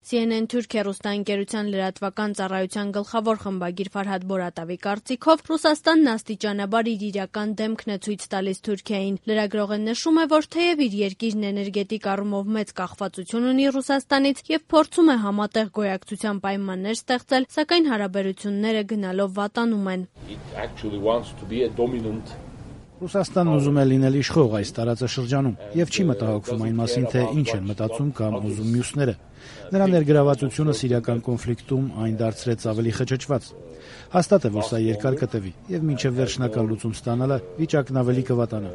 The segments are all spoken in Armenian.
CNN Թուրքիա ռուստաընկերության լրատվական ծառայության գլխավոր խմբագիր Ֆարհադ Բորատավի կարծիքով Ռուսաստանն աստիճանաբար իր իրական դեմքն է ցույց տալիս Թուրքիային։ Լրագրողը նշում է, որ թեև իր երկիրն էներգետիկ առումով մեծ կախվածություն ունի Ռուսաստանից եւ փորձում է համատեղ գոյակցության պայմաններ ստեղծել, սակայն հարաբերությունները գնալով վատանում են։ Ռուսաստանն ուզում է լինել իշխող այս տարածաշրջանում եւ չի մտահոգվում այն մասին, թե ինչ են մտածում կամ ուզում մյուսները։ Նրա ներգրավվածությունը սիրիական կոնֆլիկտում այն դարձրեց ավելի խճճված։ Հաստատ է, որ սա երկար կտևի եւ մինչեւ վերջնական լուծում ստանալը վիճակն ավելի կվատանա։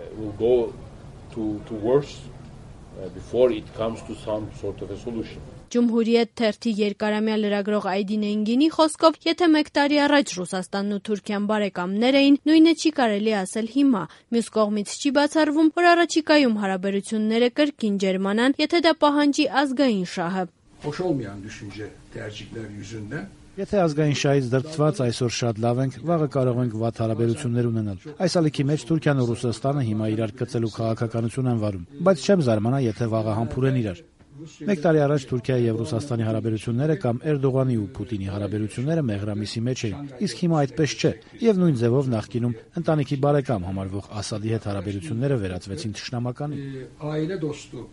Ջումհուրիետ թերթի երկարամյա լրագրող Այդին Էնգինի խոսքով, եթե 1 տարի առաջ Ռուսաստանն ու Թուրքիան բարեկամներ էին, նույնը չի կարելի ասել հիմա։ Մյուս կողմից չի բացառվում, որ առաջիկայում հարաբերությունները կրկին ջերմանան, եթե դա պահանջի ազգային շահը։ Եթե ազգային շահից դրդված այսօր շատ լավ ենք, վաղը կարող ենք վատ հարաբերություններ ունենալ։ Այս ալիքի մեջ Թուրքիան ու Ռուսաստանը հիմա իրար կծելու քաղաքականություն են վարում, բայց չեմ զարմանա, եթե վաղը համբուրեն իրար։ 1 տարի առաջ Թուրքիայի եւ Ռուսաստանի հարաբերությունները կամ Էրդողանի ու Պուտինի հարաբերությունները մեղրամիսի մեջ էին, իսկ հիմա այդպես չէ, եւ նույն ձևով նախկինում ընտանիքի բարեկամ համարվող Ասադի հետ հարաբերությունները վերածվեցին թշնամականի։ Ailə dostu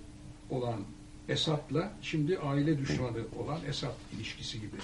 olan Esad'la şimdi aile düşmanı olan Esad ilişkisi gibi.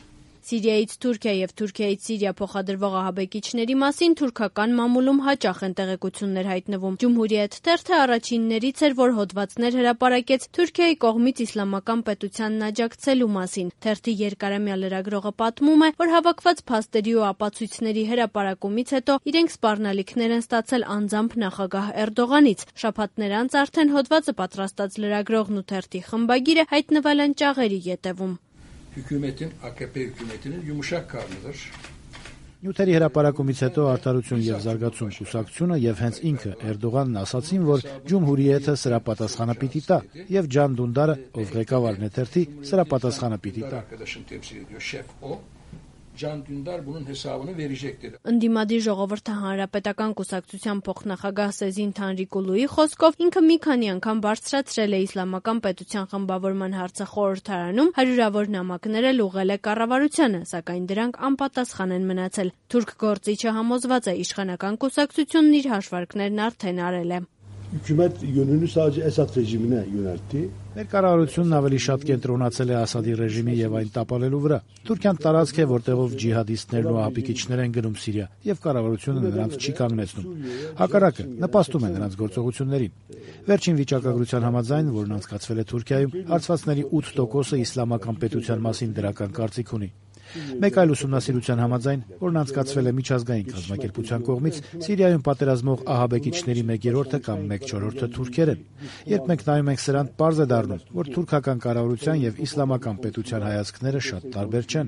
Սիրիայից Թուրքիա եւ Թուրքիայից Սիրիա փոխադրվող ահաբեկիչների մասին թուրքական մամուլում հաճախ են տեղեկություններ հայտնվում։ Ջումհուրիետ թերթը առաջիններից էր, որ հոդվածներ հրապարակեց Թուրքիայի կողմից իսլամական պետությանն աջակցելու մասին։ Թերթի երկարամյա լրագրողը պատմում է, որ հավաքված փաստերի ու ապացույցների հրապարակումից հետո իրենք սպառնալիքներ են ստացել անձամբ նախագահ Էրդողանից։ Շաբաթներ անց արդեն հոդվածը պատրաստած լրագրողն ու թերթի խմբագիրը հայտնվել են ճաղերի ետևում։ Hükümetin, AKP hükümetinin yumuşak karnıdır. Նյութերի հրապարակումից հետո Արդարություն եւ զարգացում կուսակցությունը եւ հենց ինքը Էրդողանն ասացին, որ Ջումհուրիեթը սրա պատասխանը պիտի տա եւ Ջան Դունդարը, ով ղեկավարն է թերթի, սրա պատասխանը պիտի տա։ Can Dündar bunun hesabını verecektir. Ընդդիմադիր ժողովրդի հանրապետական կուսակցության փոխնախագահ Սեզին Թանրիկուլուի խոսքով ինքը մի քանի անգամ բարձրացրել է իսլամական պետության խմբավորման հարցը խորհրդարանում, հարյուրավոր նամակներ էլ ուղղել է կառավարությանը, սակայն դրանք անպատասխան են մնացել։ Թուրք գործիչը համոզված է, իշխանական կուսակցությունն իր հաշվարկներն արդեն արել է։ Hükümet yönünü sadece Esad rejimine yöneltti. Ներկառավարությունն ավելի շատ կենտրոնացել է Ասադի ռեժիմի եւ այն տապալելու վրա։ Թուրքիան տարածք է, որտեղով ջիհադիստներն ու ահաբեկիչներ են գնում Սիրիա, եւ կառավարությունը նրանց չի կանգնեցնում։ Հակառակը, նպաստում է նրանց գործողություններին։ Վերջին վիճակագրության համաձայն, որն անցկացվել է Թուրքիայում, հարցվածների 8%-ը իսլամական պետության մասին դրական կարծիք ունի։ Մեկ այլ ուսումնասիրության համաձայն, որն անցկացվել է միջազգային կազմակերպության կողմից, Սիրիայում պատերազմող ահաբեկիչների 1/3-ը կամ 1/4-ը թուրքեր են։ Երբ մենք նայում ենք սրան, պարզ է դառնում, որ թուրքական կառավարության եւ իսլամական պետության հայացքները շատ տարբեր չեն։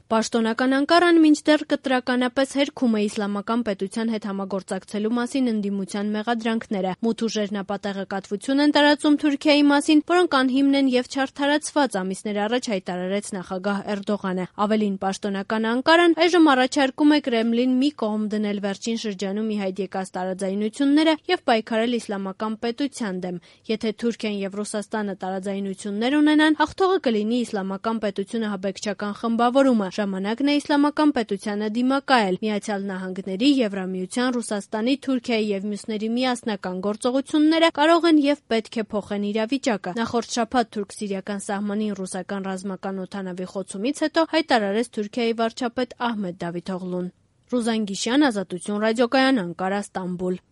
Պաշտոնական Անկարան մինչդեռ կտրականապես հերքում է իսլամական պետության հետ համագործակցելու մասին ընդդիմության մեղադրանքները։ Մութ ուժեր նապատակակատվություն են տարածում Թուրքիայի մասին, որոնք անհիմն են եւ չարդարացված, ամիսներ առաջ հայտարարեց նախագահ Էրդողանը։ Ավելին, պաշտոնական Անկարան այժմ առաջարկում է Կրեմլին մի կողմ դնել վերջին շրջանում ի հայտ եկած տարաձայնությունները եւ պայքարել իսլամական պետության դեմ։ Եթե Թուրքիան եւ Ռուսաստանը տարաձայնություններ ունենան, հաղթողը կլինի իսլամական պետությունը հաբեկչական խմբավորումը։ Ժամանակն է իսլամական պետությանը դիմակայել։ Միացյալ Նահանգների, Եվրամիության, Ռուսաստանի, Թուրքիայի եւ մյուսների միասնական գործողությունները կարող են եւ պետք է փոխեն իրավիճակը։ Նախորդ շաբաթ թուրք-սիրիական սահմանին ռուսական ռազմական օդանավի խոցումից հետո հայտարարեց Թուրքիայի վարչապետ Ահմեդ Դավիթօղլուն։ Ռուզան Գիշյան, Ազատություն ռադիոկայան, Անկարա, Ստամբուլ։